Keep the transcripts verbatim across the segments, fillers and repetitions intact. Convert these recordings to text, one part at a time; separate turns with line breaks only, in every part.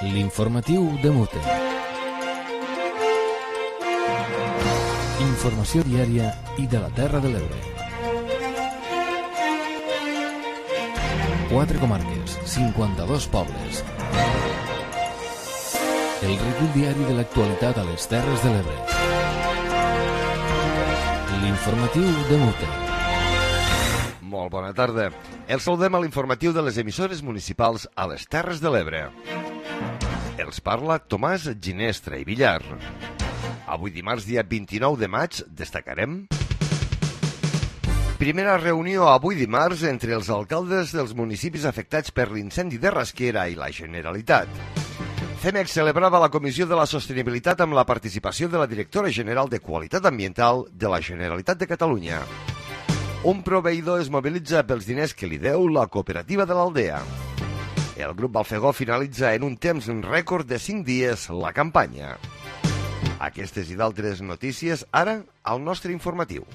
L'informatiu de Mute. Informació diària i de la Terra de l'Ebre. Quatre comarques, cinquanta-dos pobles. El recull diari de l'actualitat a les Terres de l'Ebre. L'informatiu de Mute.
Molt bona tarda. El saludem a l'informatiu de les emissores municipals a les Terres de l'Ebre. Els parla Tomàs Ginestra i Villar. Avui dimarts, dia vint-i-nou de maig, destacarem primera reunió avui dimarts entre els alcaldes dels municipis afectats per l'incendi de Rasquera i la Generalitat. CEMEX celebrava la Comissió de la Sostenibilitat amb la participació de la directora general de Qualitat Ambiental de la Generalitat de Catalunya. Un proveïdor es mobilitza pels diners que li deu la cooperativa de l'Aldea. El grup Balfegó finalitza en un temps rècord de cinc dies la campanya. Aquestes i d'altres notícies ara al nostre informatiu.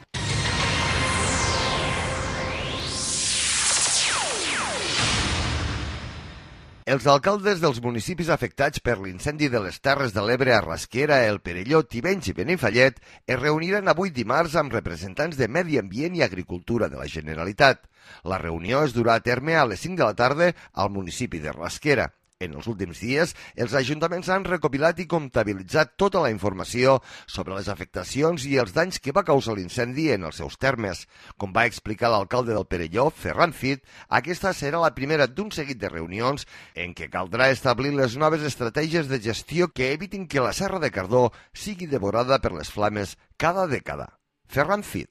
Els alcaldes dels municipis afectats per l'incendi de les Terres de l'Ebre a Rasquera, El Perelló, Tivenys i Benifallet es reuniran avui dimarts amb representants de Medi Ambient i Agricultura de la Generalitat. La reunió es durà a terme a les cinc de la tarda al municipi de Rasquera. En els últims dies, els ajuntaments han recopilat i comptabilitzat tota la informació sobre les afectacions i els danys que va causar l'incendi en els seus termes. Com va explicar l'alcalde del Perelló, Ferran Fit, aquesta serà la primera d'un seguit de reunions en què caldrà establir les noves estratègies de gestió que evitin que la Serra de Cardó sigui devorada per les flames cada dècada. Ferran Fit.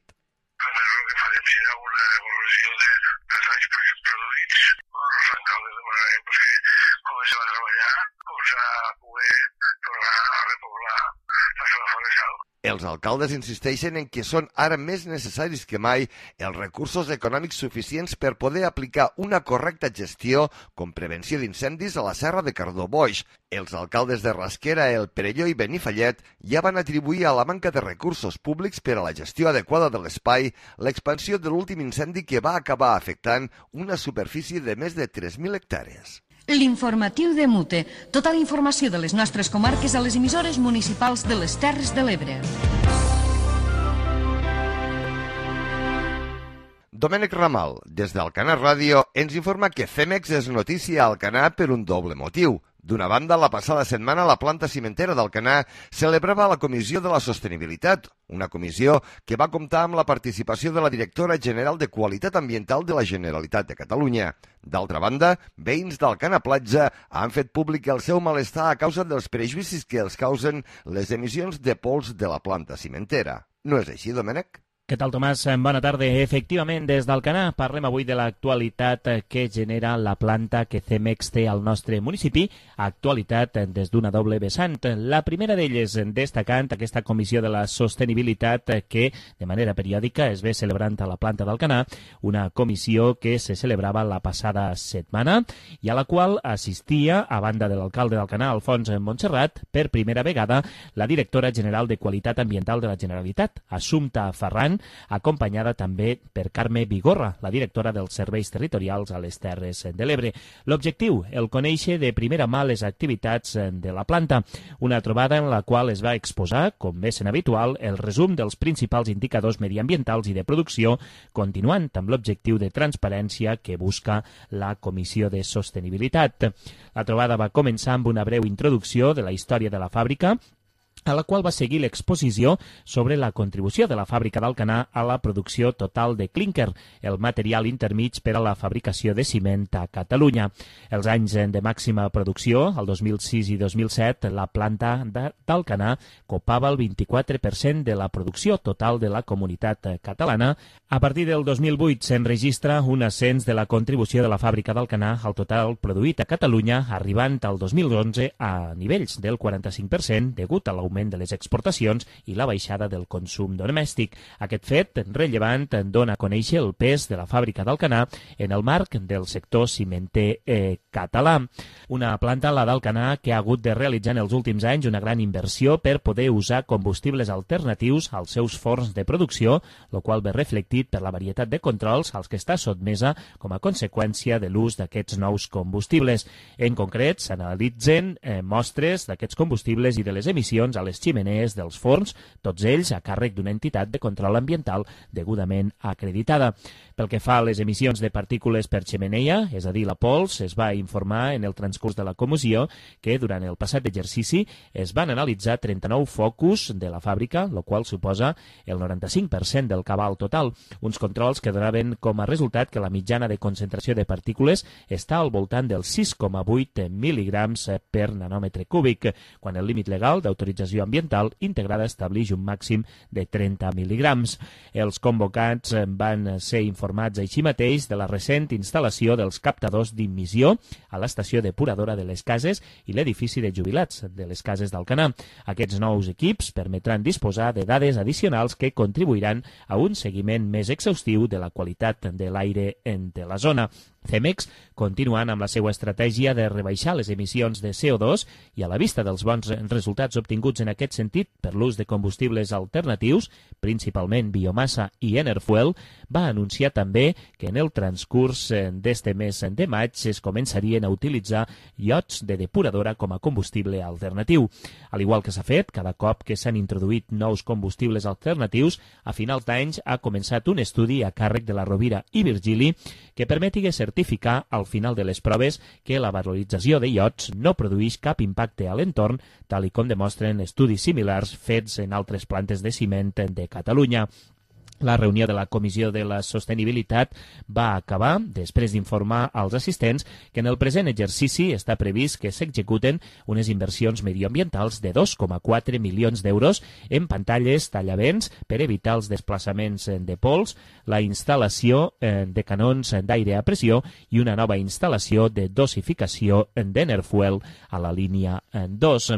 Els alcaldes insisteixen en que són ara més necessaris que mai els recursos econòmics suficients per poder aplicar una correcta gestió com prevenció d'incendis a la Serra de Cardó-Boix. Els alcaldes de Rasquera, El Perelló i Benifallet ja van atribuir a la manca de recursos públics per a la gestió adequada de l'espai l'expansió de l'últim incendi que va acabar afectant una superfície de més de tres mil hectàrees.
L'informatiu de Mute. Tota la informació de les nostres comarques a les emissores municipals de les Terres de l'Ebre.
Domènec Ramal, des d'Alcanar Ràdio, ens informa que CEMEX és notícia a Alcanar per un doble motiu. D'una banda, la passada setmana la planta cimentera d'Alcanar celebrava la Comissió de la Sostenibilitat, una comissió que va comptar amb la participació de la directora general de Qualitat Ambiental de la Generalitat de Catalunya. D'altra banda, veïns d'Alcanar Platja han fet públic el seu malestar a causa dels prejudicis que els causen les emissions de pols de la planta cimentera. No és així, Domènec?
Què tal, Tomàs? Bona tarda. Efectivament, des d'Alcanar parlem avui de l'actualitat que genera la planta que CEMEX té al nostre municipi, actualitat des d'una doble vessant. La primera d'elles destacant aquesta Comissió de la Sostenibilitat que de manera periòdica es ve celebrant a la planta d'Alcanar, una comissió que se celebrava la passada setmana i a la qual assistia, a banda de l'alcalde d'Alcanar, Alfons Montserrat, per primera vegada la directora general de Qualitat Ambiental de la Generalitat, Assumpta Ferran, acompanyada també per Carme Vigorra, la directora dels Serveis Territorials a les Terres de l'Ebre. L'objectiu, el conèixer de primera mà les activitats de la planta, una trobada en la qual es va exposar, com és en habitual, el resum dels principals indicadors mediambientals i de producció, continuant amb l'objectiu de transparència que busca la Comissió de Sostenibilitat. La trobada va començar amb una breu introducció de la història de la fàbrica, a la qual va seguir l'exposició sobre la contribució de la fàbrica d'Alcanar a la producció total de clínquer, el material intermig per a la fabricació de ciment a Catalunya. Els anys de màxima producció, el dos mil sis i dos mil set, la planta d'Alcanar copava el vint-i-quatre per cent de la producció total de la comunitat catalana. A partir del dos mil vuit s'enregistra un ascens de la contribució de la fàbrica d'Alcanar al total produït a Catalunya, arribant al dos mil onze a nivells del quaranta-cinc per cent degut a l'augment l'augment de les exportacions i la baixada del consum domèstic. Aquest fet rellevant dona a conèixer el pes de la fàbrica d'Alcanar en el marc del sector cimenter eh, català. Una planta, la d'Alcanar, que ha hagut de realitzar en els últims anys una gran inversió per poder usar combustibles alternatius als seus forns de producció, el qual ve reflectit per la varietat de controls als que està sotmesa com a conseqüència de l'ús d'aquests nous combustibles. En concret, s'analitzen eh, mostres d'aquests combustibles i de les emissions a les ximenees dels forns, tots ells a càrrec d'una entitat de control ambiental degudament acreditada. Pel que fa a les emissions de partícules per xemeneia, és a dir, la pols, es va informar en el transcurs de la comissió que durant el passat exercici es van analitzar trenta-nou focus de la fàbrica, el qual suposa el noranta-cinc per cent del cabal total. Uns controls que donaven com a resultat que la mitjana de concentració de partícules està al voltant dels sis coma vuit mil·ligrams per nanòmetre cúbic, quan el límit legal d'autorització ambiental integrada estableix un màxim de trenta mil·ligrams. Els convocats van ser informats així mateix de la recent instal·lació dels captadors d'immissió a l'estació depuradora de les cases i l'edifici de jubilats de les cases d'Alcanar. Aquests nous equips permetran disposar de dades addicionals que contribuiran a un seguiment més exhaustiu de la qualitat de l'aire de la zona. Cemex, continuant amb la seva estratègia de rebaixar les emissions de C O dos i a la vista dels bons resultats obtinguts en aquest sentit per l'ús de combustibles alternatius, principalment biomassa i Enerfuel, va anunciar també que en el transcurs d'este mes de maig es començarien a utilitzar iots de depuradora com a combustible alternatiu. Al igual que s'ha fet, cada cop que s'han introduït nous combustibles alternatius, a finals d'anys ha començat un estudi a càrrec de la Rovira i Virgili que permeti certificar al final de les proves que la valorització de iots no produeix cap impacte a l'entorn, tal i com demostren estudis similars fets en altres plantes de ciment de Catalunya. La reunió de la Comissió de la Sostenibilitat va acabar després d'informar als assistents que en el present exercici està previst que s'executen unes inversions medioambientals de dos coma quatre milions d'euros en pantalles tallavents per evitar els desplaçaments de pols, la instal·lació de canons d'aire a pressió i una nova instal·lació de dosificació d'Enerfuel a la línia dos.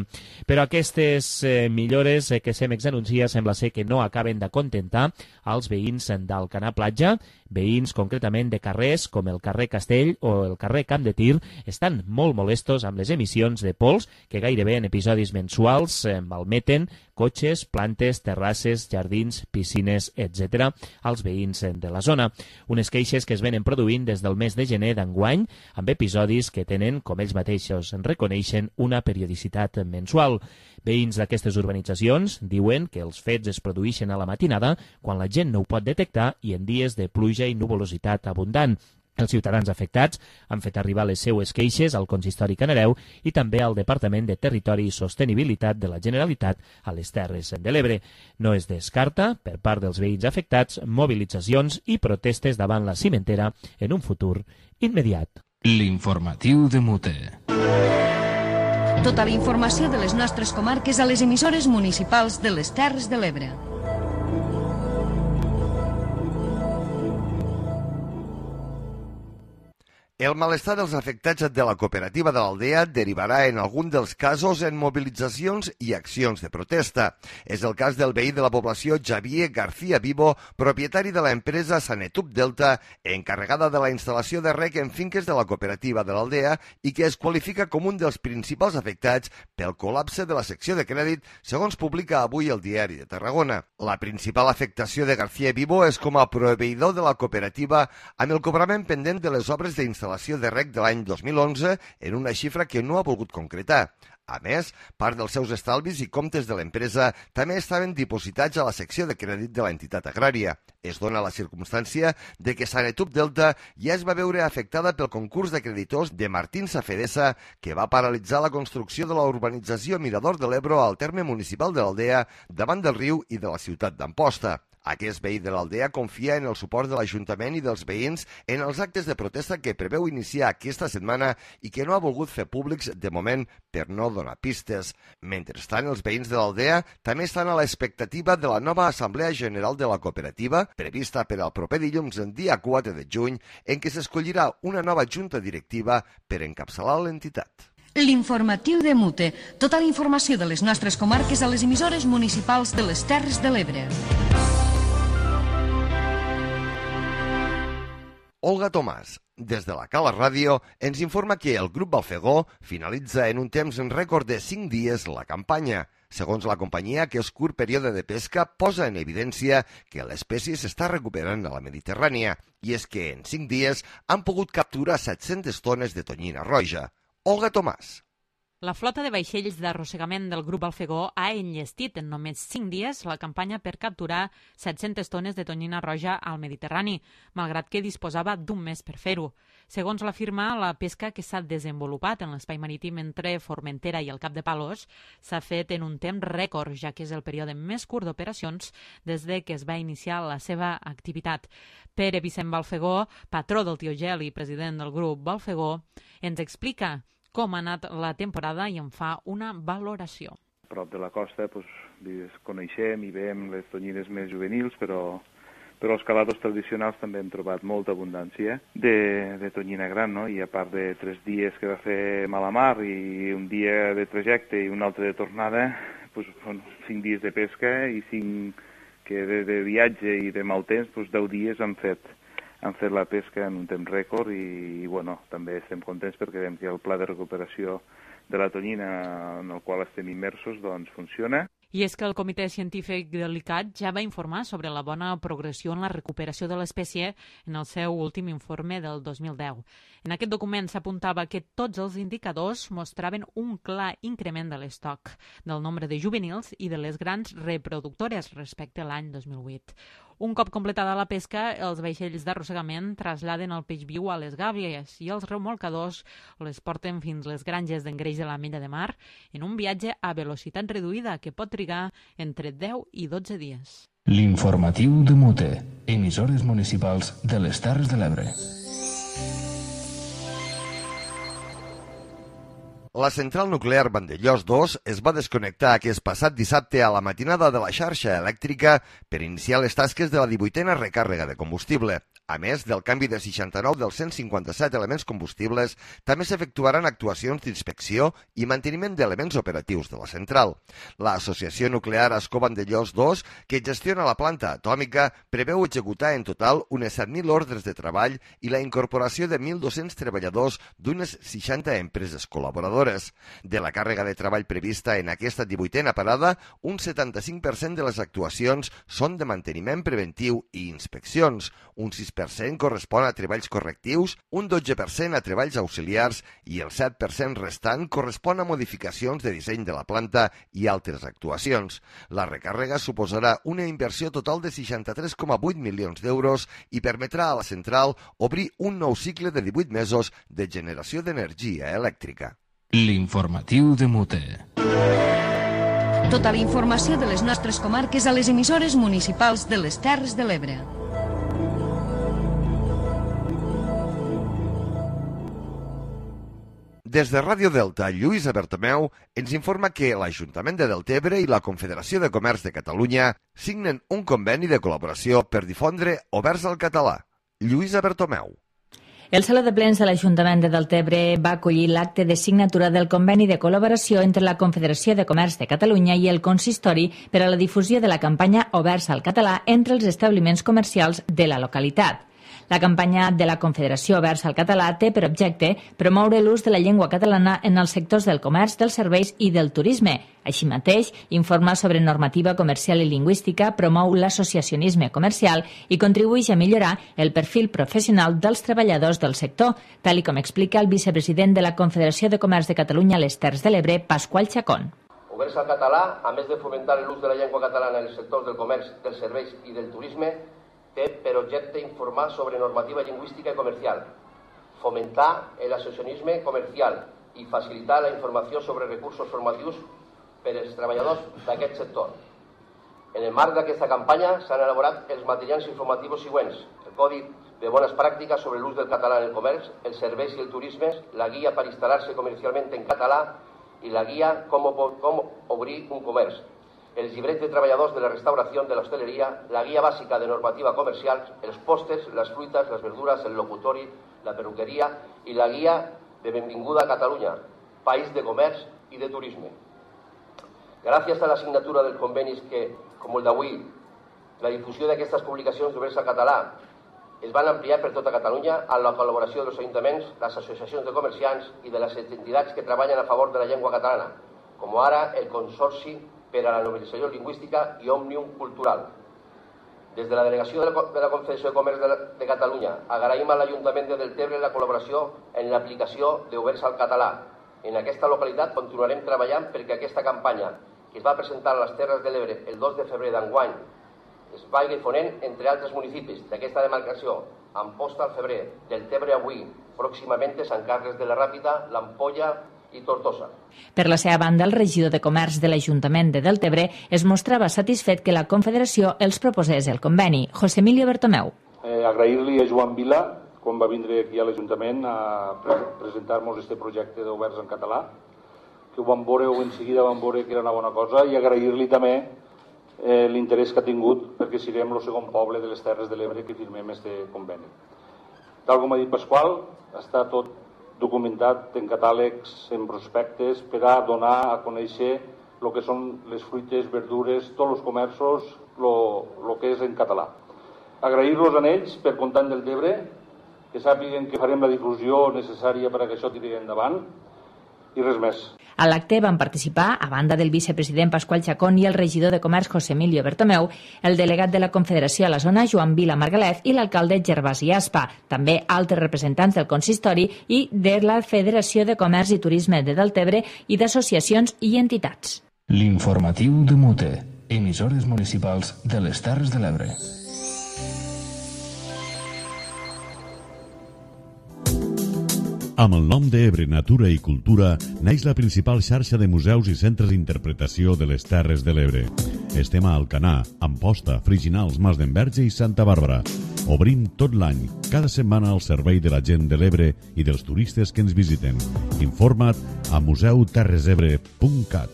Però aquestes millores que Cemex anuncia sembla ser que no acaben d'acontentar als veïns d'Alcanar Platja. Veïns concretament de carrers com el carrer Castell o el carrer Camp de Tir estan molt molestos amb les emissions de pols que gairebé en episodis mensuals malmeten cotxes, plantes, terrasses, jardins, piscines, etcètera als veïns de la zona. Unes queixes que es venen produint des del mes de gener d'enguany amb episodis que tenen, com ells mateixos reconeixen, una periodicitat mensual. Veïns d'aquestes urbanitzacions diuen que els fets es produeixen a la matinada quan la gent no ho pot detectar i en dies de pluja i nuvolositat abundant. Els ciutadans afectats han fet arribar les seues queixes al Consistori Canareu i també al Departament de Territori i Sostenibilitat de la Generalitat a les Terres de l'Ebre. No es descarta, per part dels veïns afectats, mobilitzacions i protestes davant la cimentera en un futur immediat.
L'informatiu de Mute.
Tota la informació de les nostres comarques a les emissores municipals de les Terres de l'Ebre.
El malestar dels afectats de la cooperativa de l'Aldea derivarà en algun dels casos en mobilitzacions i accions de protesta. És el cas del veí de la població Xavier García Vivo, propietari de l'empresa Sanetup Delta, encarregada de la instal·lació de rec en finques de la cooperativa de l'Aldea i que es qualifica com un dels principals afectats pel col·lapse de la secció de crèdit, segons publica avui el Diari de Tarragona. La principal afectació de García Vivo és com a proveïdor de la cooperativa amb el cobrament pendent de les obres d'instal·lació de rec de l'any dos mil onze en una xifra que no ha volgut concretar. A més, part dels seus estalvis i comptes de l'empresa també estaven dipositats a la secció de crèdit de l'entitat agrària. Es dona la circumstància de que Sanetup Delta ja es va veure afectada pel concurs de creditors de Martín Safedesa, que va paralitzar la construcció de la urbanització Mirador de l'Ebro al terme municipal de l'Aldea, davant del riu i de la ciutat d'Amposta. Aquest veí de l'Aldea confia en el suport de l'Ajuntament i dels veïns en els actes de protesta que preveu iniciar aquesta setmana i que no ha volgut fer públics de moment per no donar pistes. Mentrestant, els veïns de l'Aldea també estan a l'expectativa de la nova Assemblea General de la Cooperativa, prevista per al proper dilluns, el dia quatre de juny, en què s'escollirà una nova junta directiva per encapçalar l'entitat.
L'informatiu de Mute. Tota la informació de les nostres comarques a les emissores municipals de les Terres de l'Ebre.
Olga Tomàs, des de la Cala Ràdio, ens informa que el grup Balfegó finalitza en un temps en rècord de cinc dies la campanya. Segons la companyia, aquest curt període de pesca posa en evidència que l'espècie s'està recuperant a la Mediterrània, i és que en cinc dies han pogut capturar set-centes tones de tonyina roja. Olga Tomàs.
La flota de vaixells d'arrossegament del grup Balfegó ha enllestit en només cinc dies la campanya per capturar set-centes tones de tonyina roja al Mediterrani, malgrat que disposava d'un mes per fer-ho. Segons la firma, la pesca que s'ha desenvolupat en l'espai marítim entre Formentera i el Cap de Palos s'ha fet en un temps rècord, ja que és el període més curt d'operacions des de que es va iniciar la seva activitat. Pere Vicent Balfegó, patró del Tio Gel i president del grup Balfegó, ens explica com ha anat la temporada i en fa una valoració.
A prop de la costa doncs, coneixem i veiem les tonyines més juvenils, però, però els caladors tradicionals també hem trobat molta abundància de, de tonyina gran, no? I a part de tres dies que va fer mala mar i un dia de trajecte i un altre de tornada, doncs, són cinc dies de pesca i cinc que de, de viatge i de mal temps, doncs deu dies han fet han fet la pesca en un temps rècord i, i bueno, també estem contents perquè veiem que el pla de recuperació de la tonyina en el qual estem immersos doncs funciona.
I és que el Comitè Científic de l'I C A T ja va informar sobre la bona progressió en la recuperació de l'espècie en el seu últim informe del dos mil deu. En aquest document s'apuntava que tots els indicadors mostraven un clar increment de l'estoc, del nombre de juvenils i de les grans reproductores respecte a l'any dos mil vuit. Un cop completada la pesca, els vaixells d'arrossegament trasladen el peix viu a les gàbies i els remolcadors les porten fins les granges d'engreix de l'Ametlla de Mar en un viatge a velocitat reduïda que pot trigar entre deu i dotze dies.
L'informatiu de Mute, emissores municipals de les Terres de l'Ebre.
La central nuclear Vandellós dos es va desconnectar aquest passat dissabte a la matinada de la xarxa elèctrica per iniciar les tasques de la divuitena recàrrega de combustible. A més del canvi de seixanta-nou dels cent cinquanta-set elements combustibles, també s'efectuaran actuacions d'inspecció i manteniment d'elements operatius de la central. L'Associació Nuclear Ascó Vandellós dos, que gestiona la planta atòmica, preveu executar en total unes set mil ordres de treball i la incorporació de mil dos-cents treballadors d'unes seixanta empreses col·laboradores. De la càrrega de treball prevista en aquesta divuitena parada, un setanta-cinc per cent de les actuacions són de manteniment preventiu i inspeccions, un sis per cent correspon a treballs correctius, un dotze per cent a treballs auxiliars i el set per cent restant correspon a modificacions de disseny de la planta i altres actuacions. La recàrrega suposarà una inversió total de seixanta-tres coma vuit milions d'euros i permetrà a la central obrir un nou cicle de divuit mesos de generació d'energia elèctrica.
L'informatiu de Mute.
Tota la informació de les nostres comarques a les emissores municipals de les Terres de l'Ebre.
Des de Ràdio Delta, Lluïsa Bertomeu ens informa que l'Ajuntament de Deltebre i la Confederació de Comerç de Catalunya signen un conveni de col·laboració per difondre Oberts al català. Lluïsa Bertomeu.
El Saló de Plens de l'Ajuntament de Deltebre va acollir l'acte de signatura del conveni de col·laboració entre la Confederació de Comerç de Catalunya i el Consistori per a la difusió de la campanya Oberts al català entre els establiments comercials de la localitat. La campanya de la Confederació Oberts al català té per objecte promoure l'ús de la llengua catalana en els sectors del comerç, dels serveis i del turisme. Així mateix, informa sobre normativa comercial i lingüística, promou l'associacionisme comercial i contribueix a millorar el perfil professional dels treballadors del sector, tal i com explica el vicepresident de la Confederació de Comerç de Catalunya a les Terres de l'Ebre, Pasqual Chacón.
Oberts al català, a més de fomentar l'ús de la llengua catalana en els sectors del comerç, dels serveis i del turisme, té per objecte informar sobre normativa lingüística i comercial, fomentar l'associacionisme comercial i facilitar la informació sobre recursos formatius per als treballadors d'aquest sector. En el marc d'aquesta campanya s'han elaborat els materials informatius següents: el Codi de Bones Pràctiques sobre l'ús del català en el comerç, els serveis i el turisme, la guia per instal·lar-se comercialment en català i la guia com, com obrir un comerç, els llibrets de treballadors de la restauració, de l'hostaleria, la guia bàsica de normativa comercial, els postes, les fruites, les verdures, el locutori, la perruqueria i la guia de benvinguda a Catalunya, país de comerç i de turisme. Gràcies a la signatura dels convenis que, com el d'avui, la difusió d'aquestes publicacions d'Oberts al Català es van ampliar per tota Catalunya amb la col·laboració dels ajuntaments, les associacions de comerciants i de les entitats que treballen a favor de la llengua catalana, com ara el Consorci per a la Normalització Lingüística i Òmnium Cultural. Des de la Delegació de la Confederació de Comerç de Catalunya agraïm a l'Ajuntament de Deltebre la col·laboració en l'aplicació d'Oberts al Català. En aquesta localitat continuarem treballant perquè aquesta campanya, que es va presentar a les Terres de l'Ebre el dos de febrer d'enguany, es vagi fonent entre altres municipis d'aquesta demarcació, Amposta al febrer, Deltebre avui, pròximament Sant Carles de la Ràpita, l'Ampolla i Tortosa.
Per la seva banda, el regidor de Comerç de l'Ajuntament de Deltebre es mostrava satisfet que la Confederació els proposés el conveni. José Emilio Bertomeu.
Eh, Agrair-li a Joan Vila, quan va vindre aquí a l'Ajuntament a pre presentar-nos este projecte d'Oberts en català, que ho vam veure o en seguida vam veure que era una bona cosa, i agrair-li també eh, l'interès que ha tingut perquè siguem el segon poble de les Terres de l'Ebre que firmem este conveni. Tal com ha dit Pasqual, està tot documentat en catàlegs, en prospectes, per a donar a conèixer el que són les fruites, verdures, tots els comerços, el que és en català. Agrair-los a ells per comptar del Deltebre, que sàpiguen que farem la difusió necessària per a que això tiri endavant, i res més.
A l'acte van participar, a banda del vicepresident Pasqual Chacón i el regidor de Comerç José Emilio Bertomeu, el delegat de la Confederació a la zona Joan Vila Margalef i l'alcalde Gervasi Aspa, també altres representants del consistori i de la Federació de Comerç i Turisme de Deltebre i d'associacions i entitats.
L'informatiu de Mute, emissores municipals de les Terres de l'Ebre.
Amb el nom d'Ebre Natura i Cultura naix la principal xarxa de museus i centres d'interpretació de les Terres de l'Ebre. Estem a Alcanar, Amposta, Friginals, Mas d'Enverge i Santa Bàrbara. Obrim tot l'any, cada setmana al servei de la gent de l'Ebre i dels turistes que ens visiten. Informa't a museu terres ebre punt cat.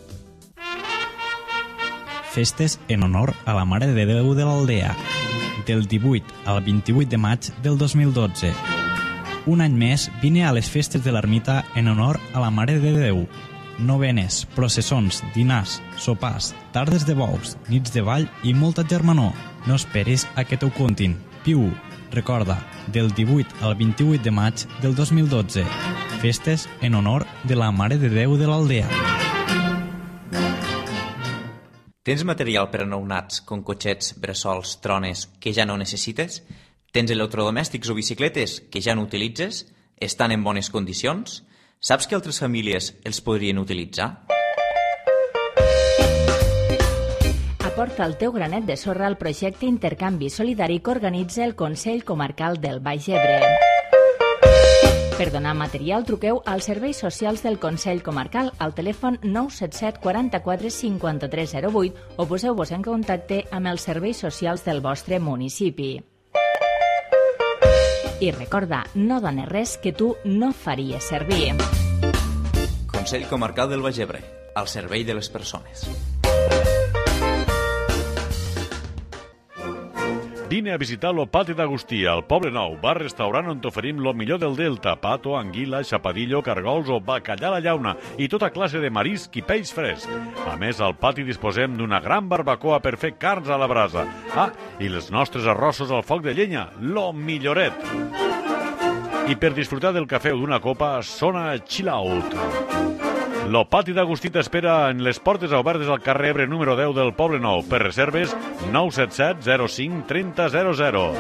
Festes en honor a la Mare de Déu de l'Aldea, del divuit al vint-i-vuit de maig del dos mil dotze. Un any més vine a les festes de l'ermita en honor a la Mare de Déu. Novenes, processons, dinars, sopars, tardes de bous, nits de ball i molta germanor. No esperis a que t'ho contin. Piu, recorda, del divuit al vint-i-vuit de maig del dos mil dotze. Festes en honor de la Mare de Déu de l'Aldea.
Tens material per a nounats, com cotxets, bressols, trones, que ja no necessites? Tens electrodomèstics o bicicletes que ja no utilitzes? Estan en bones condicions? Saps que altres famílies els podrien utilitzar?
Aporta el teu granet de sorra al projecte Intercanvi Solidari que organitza el Consell Comarcal del Baix Ebre. Per donar material, truqueu als serveis socials del Consell Comarcal al telèfon nou set set quaranta-quatre cinquanta-tres zero vuit o poseu-vos en contacte amb els serveis socials del vostre municipi. I recorda, no dones res que tu no faries servir.
Consell Comarcal del Baix Ebre, al servei de les persones.
Vine a visitar lo Pati d'Agustí, al Poble Nou, bar-restaurant on t'oferim lo millor del Delta, pato, anguila, xapadillo, cargols o bacallà a la llauna i tota classe de marisc i peix fresc. A més, al pati disposem d'una gran barbacoa per fer carns a la brasa. Ah, i els nostres arrossos al foc de llenya, lo milloret. I per disfrutar del cafè o d'una copa, sona Chill Out. Lo Pati d'Agustí t'espera en les portes obertes al carrer Ebre número deu del Poble Nou. Per reserves, nou set set zero cinc trenta zero zero.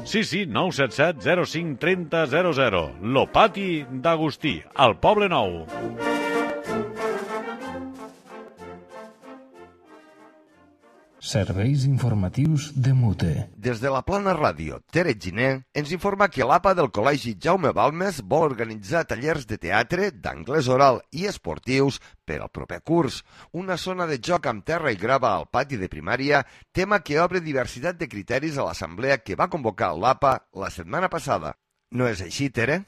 Sí, sí, nou set set zero cinc trenta zero zero. Lo Pati d'Agustí, al Poble Nou.
Serveis informatius de Mute.
Des de la Plana Ràdio, Tere Giner ens informa que l'A P A del Col·legi Jaume Balmes vol organitzar tallers de teatre, d'anglès oral i esportius per al proper curs. Una zona de joc amb terra i grava al pati de primària, tema que obre diversitat de criteris a l'assemblea que va convocar l'A P A la setmana passada. No és així, Tere?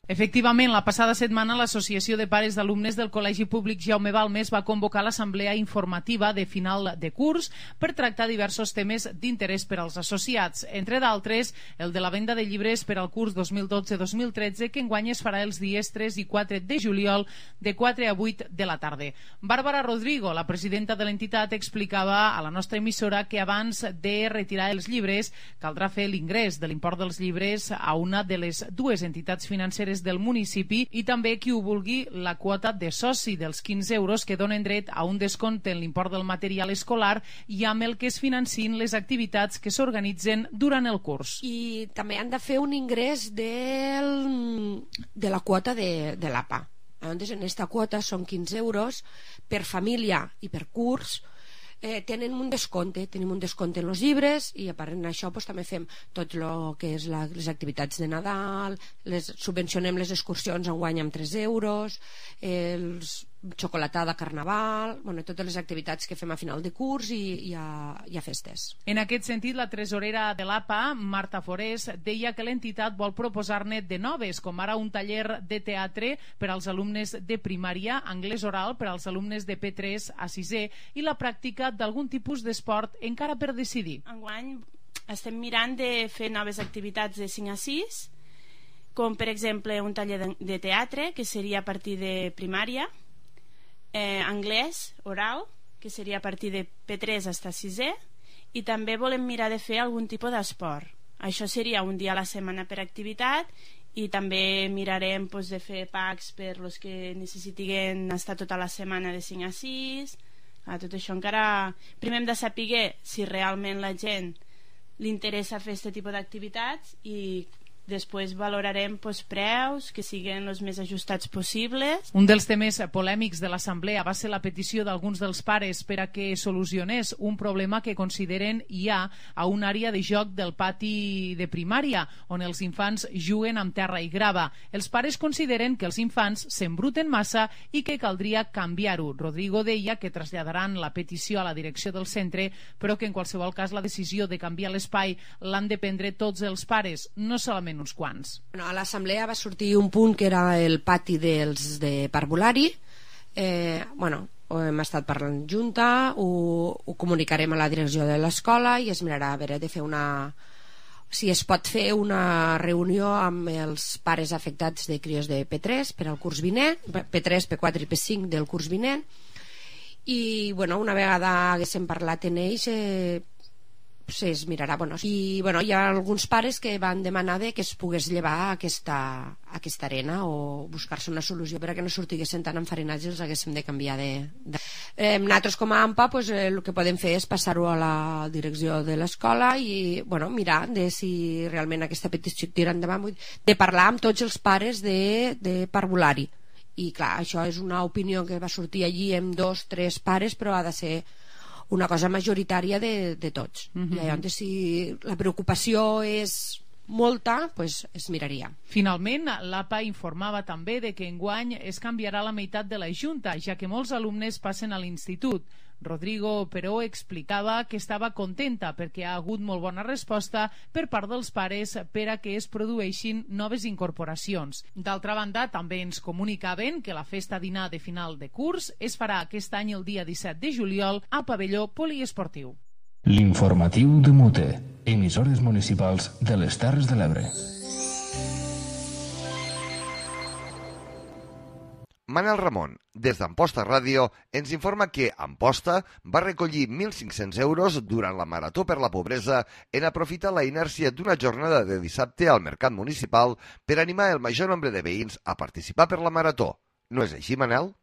Efectivament, la passada setmana l'Associació de Pares d'Alumnes del Col·legi Públic Jaume Balmes va convocar l'assemblea informativa de final de curs per tractar diversos temes d'interès per als associats, entre d'altres el de la venda de llibres per al curs dos mil dotze dos mil tretze, que enguany es farà els dies tres i quatre de juliol de quatre a vuit de la tarda. Bàrbara Rodrigo, la presidenta de l'entitat, explicava a la nostra emissora que abans de retirar els llibres caldrà fer l'ingrés de l'import dels llibres a una de les dues entitats financeres del municipi i també qui ho vulgui la quota de soci dels quinze euros que donen dret a un descompte en l'import del material escolar i amb el que es financin les activitats que s'organitzen durant el curs.
I també han de fer un ingrés del, de la quota de, de l'A P A. Llavors, en aquesta quota són quinze euros per família i per curs. Eh, tenen un descompte, tenim un descompte en els llibres i a part d'això doncs, també fem tot el que és la, les activitats de Nadal, les, subvencionem les excursions enguany amb tres euros, els xocolatada, carnaval, bueno, totes les activitats que fem a final de curs i, i, a, i a festes.
En aquest sentit, la tresorera de l'A P A, Marta Forés, deia que l'entitat vol proposar-ne de noves, com ara un taller de teatre per als alumnes de primària, anglès oral per als alumnes de P tres a sisè i la pràctica d'algun tipus d'esport encara per decidir.
Enguany estem mirant de fer noves activitats de cinc a sis, com per exemple un taller de, de teatre, que seria a partir de primària, Eh, anglès oral, que seria a partir de P tres fins a sisè, i també volem mirar de fer algun tipus d'esport. Això seria un dia a la setmana per activitat i també mirarem pues, de fer packs per los que necessitin estar tota la setmana de cinc a sis. Ah, tot això encara... Primer hem de saber si realment la gent li interessa fer aquest tipus d'activitats i després valorarem pues, preus que siguin els més ajustats possibles.
Un dels temes polèmics de l'assemblea va ser la petició d'alguns dels pares per a que solucionés un problema que consideren hi ha a una àrea de joc del pati de primària, on els infants juguen amb terra i grava. Els pares consideren que els infants s'embruten massa i que caldria canviar-ho. Rodrigo deia que traslladaran la petició a la direcció del centre, però que en qualsevol cas la decisió de canviar l'espai l'han de prendre tots els pares, no solament uns quants.
Bueno, a l'assemblea va sortir un punt que era el pati dels de parvulari. Eh, bueno, ho hem estat parlant junta, ho, ho comunicarem a la direcció de l'escola i es mirarà a veure de fer una... si es pot fer una reunió amb els pares afectats de crios de P tres per al curs vinent, P tres, P quatre i P cinc del curs vinent, i bueno, una vegada haguéssim parlat en ells eh, es mirarà, bueno, i bueno, hi ha alguns pares que van demanar de que es pogués llevar aquesta, aquesta arena o buscar-se una solució perquè no sortiguessin tan enfarinats i els haguéssim de canviar de... de... Eh, nosaltres com a AMPA pues, eh, el que podem fer és passar-ho a la direcció de l'escola i bueno, mirar de si realment aquesta petició tira endavant, de parlar amb tots els pares de, de parvulari. I clar, això és una opinió que va sortir allí amb dos, tres pares, però ha de ser una cosa majoritària de, de tots. Mm-hmm. I llavors, si la preocupació és molta, pues es miraria.
Finalment, l'A P A informava també de que enguany es canviarà la meitat de la Junta, ja que molts alumnes passen a l'institut. Rodrigo, però, explicava que estava contenta perquè ha hagut molt bona resposta per part dels pares per a que es produeixin noves incorporacions. D'altra banda, també ens comunicaven que la festa dinar de final de curs es farà aquest any el dia disset de juliol al pavelló poliesportiu.
L'informatiu de Mute, emissores municipals de les Terres de l'Ebre.
Manel Ramon, des d'Amposta Ràdio, ens informa que Amposta va recollir mil cinc-cents euros durant la Marató per la Pobresa en aprofitar la inèrcia d'una jornada de dissabte al Mercat Municipal per animar el major nombre de veïns a participar per la Marató. No és així, Manel?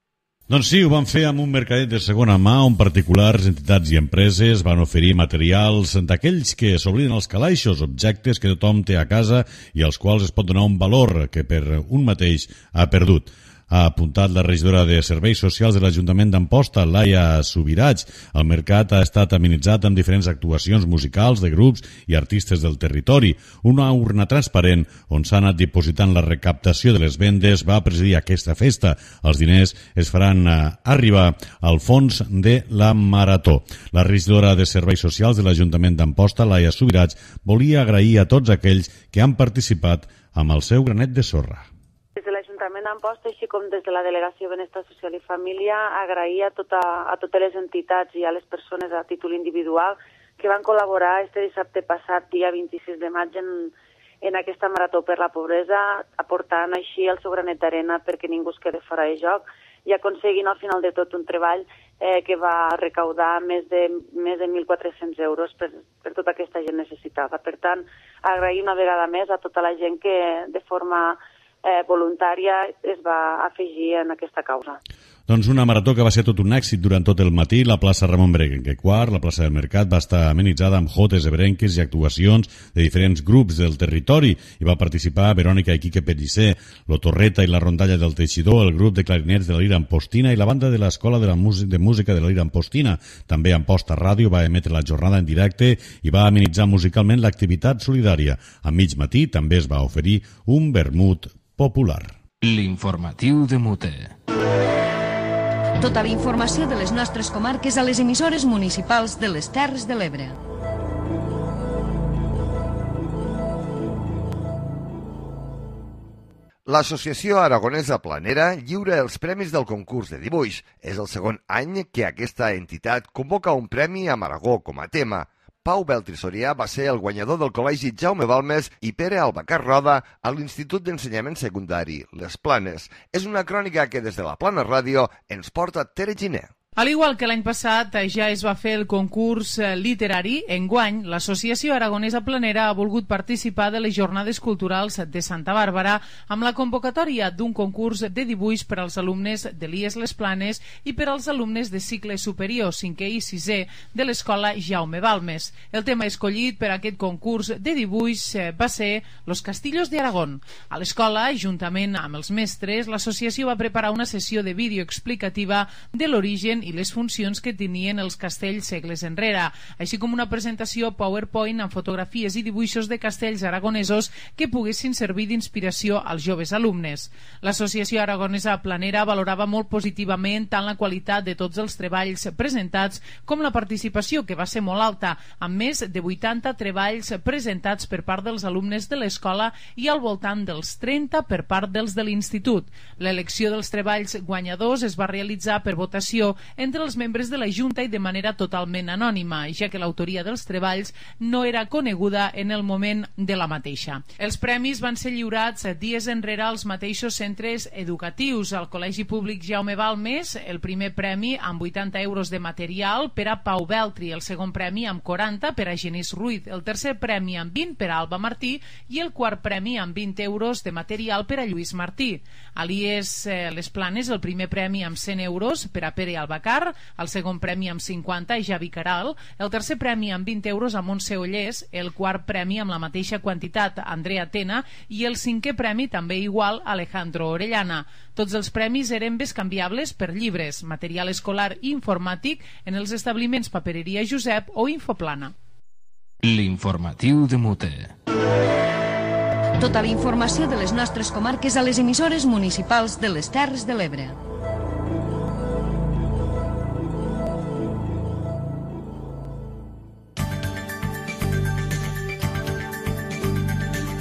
Doncs sí, ho van fer amb un mercadet de segona mà on particulars, entitats i empreses van oferir materials d'aquells que s'obliden els calaixos, objectes que tothom té a casa i als quals es pot donar un valor que per un mateix ha perdut. Ha apuntat la regidora de Serveis Socials de l'Ajuntament d'Amposta, Laia Subirats. El mercat ha estat amenitzat amb diferents actuacions musicals de grups i artistes del territori. Una urna transparent on s'ha anat dipositant la recaptació de les vendes va presidir aquesta festa. Els diners es faran arribar al fons de la Marató. La regidora de Serveis Socials de l'Ajuntament d'Amposta, Laia Subirats, volia agrair a tots aquells que han participat amb el seu granet de sorra.
Des l'Ajuntament d'Amposta, així com des de la Delegació Benestar Social i Família, agrair a, tota, a totes les entitats i a les persones a títol individual que van col·laborar este dissabte passat, dia vint-i-sis de maig, en, en aquesta marató per la pobresa, aportant així el seu granet d'arena perquè ningú es quede fora de joc i aconseguint al final de tot un treball eh, que va recaudar més de, més de mil quatre-cents euros per, per tota aquesta gent necessitada. Per tant, agrair una vegada més a tota la gent que de forma eh, voluntària es va afegir en aquesta causa.
Doncs una marató que va ser tot un èxit durant tot el matí. La plaça Ramon Berenguer quart, la plaça del Mercat, va estar amenitzada amb jotes, ebrenques i actuacions de diferents grups del territori. Hi va participar Verònica i Quique Pellicer, l'Otorreta i la Rondalla del Teixidor, el grup de clarinets de la Lira Ampostina i la banda de l'Escola de, la de Música de la Lira Ampostina. També Amposta Ràdio va emetre la jornada en directe i va amenitzar musicalment l'activitat solidària. A mig matí també es va oferir un vermut popular.
L'informatiu de Mute.
Tota la informació de les nostres comarques a les emissores municipals de les Terres de l'Ebre.
L'Associació Aragonesa Planera lliura els premis del concurs de dibuix. És el segon any que aquesta entitat convoca un premi amb Aragó com a tema. Pau Beltri Sorià va ser el guanyador del Col·legi Jaume Balmes i Pere Albacar Roda a l'Institut d'Ensenyament Secundari Les Planes. És una crònica que des de la Plana Ràdio ens porta Tere Giner.
Al igual que l'any passat ja es va fer el concurs literari, enguany l'Associació Aragonesa Planera ha volgut participar de les Jornades Culturals de Santa Bàrbara amb la convocatòria d'un concurs de dibuix per als alumnes de l'I E S Les Planes i per als alumnes de cicle superior, cinquè i sisè, de l'Escola Jaume Balmes. El tema escollit per aquest concurs de dibuix va ser Los Castillos de Aragón. A l'escola, juntament amb els mestres, l'associació va preparar una sessió de vídeo explicativa de l'origen i les funcions que tenien els castells segles enrere, així com una presentació PowerPoint amb fotografies i dibuixos de castells aragonesos que poguessin servir d'inspiració als joves alumnes. L'Associació Aragonesa Planera valorava molt positivament tant la qualitat de tots els treballs presentats com la participació, que va ser molt alta, amb més de vuitanta treballs presentats per part dels alumnes de l'escola i al voltant dels trenta per part dels de l'institut. L'elecció dels treballs guanyadors es va realitzar per votació entre els membres de la Junta i de manera totalment anònima, ja que l'autoria dels treballs no era coneguda en el moment de la mateixa. Els premis van ser lliurats dies enrere als mateixos centres educatius. Al Col·legi Públic Jaume Balmes, el primer premi amb vuitanta euros de material per a Pau Beltri, el segon premi amb quaranta per a Genís Ruiz, el tercer premi amb vint per a Alba Martí i el quart premi amb vint euros de material per a Lluís Martí. A l'I E S Les Planes, el primer premi amb cent euros per a Pere Albacar, el segon premi amb cinquanta a Javi Caral, el tercer premi amb vint euros a Montse Ollés, el quart premi amb la mateixa quantitat a Andrea Tena i el cinquè premi també igual a Alejandro Orellana. Tots els premis eren bescanviables per llibres, material escolar i informàtic en els establiments Papereria Josep o Infoplana.
L'informatiu de Mute.
Tota la informació de les nostres comarques a les emissores municipals de les Terres de l'Ebre.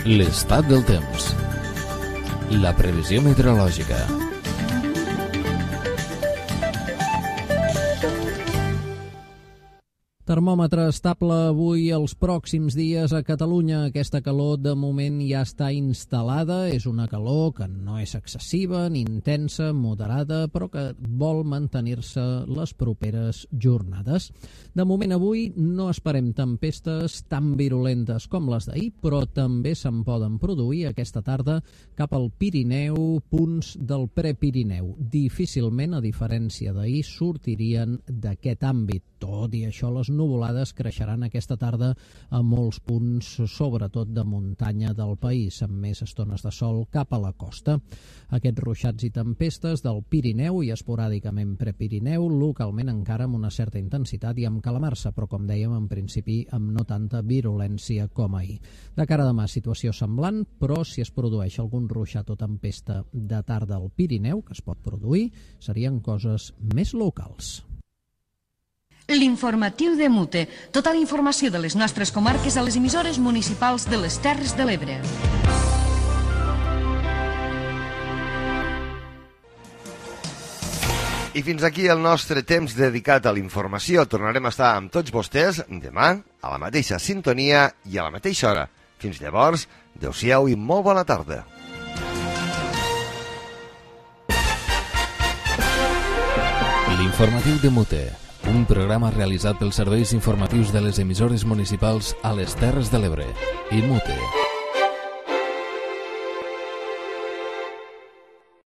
L'estat del temps. La previsió meteorològica.
Termòmetre estable avui els pròxims dies a Catalunya. Aquesta calor de moment ja està instal·lada. És una calor que no és excessiva ni intensa, moderada, però que vol mantenir-se les properes jornades. De moment avui no esperem tempestes tan virulentes com les d'ahir, però també se'n poden produir aquesta tarda cap al Pirineu, punts del Prepirineu. Difícilment, a diferència d'ahir, sortirien d'aquest àmbit. Tot i això, les nuvolades creixeran aquesta tarda a molts punts, sobretot de muntanya del país, amb més estones de sol cap a la costa. Aquests ruixats i tempestes del Pirineu i esporàdicament Prepirineu, localment encara amb una certa intensitat i amb calamarsa, però com dèiem, en principi amb no tanta virulència com ahir. De cara a demà, situació semblant, però si es produeix algun ruixat o tempesta de tarda al Pirineu, que es pot produir, serien coses més locals.
L'informatiu de Mute. Tota la informació de les nostres comarques a les emissores municipals de les Terres de l'Ebre.
I fins aquí el nostre temps dedicat a l'informació. Tornarem a estar amb tots vostès demà, a la mateixa sintonia i a la mateixa hora. Fins llavors, adeu-siau i molt bona tarda.
L'informatiu de Mute, un programa realitzat pels serveis informatius de les emissores municipals a les Terres de l'Ebre i Mute.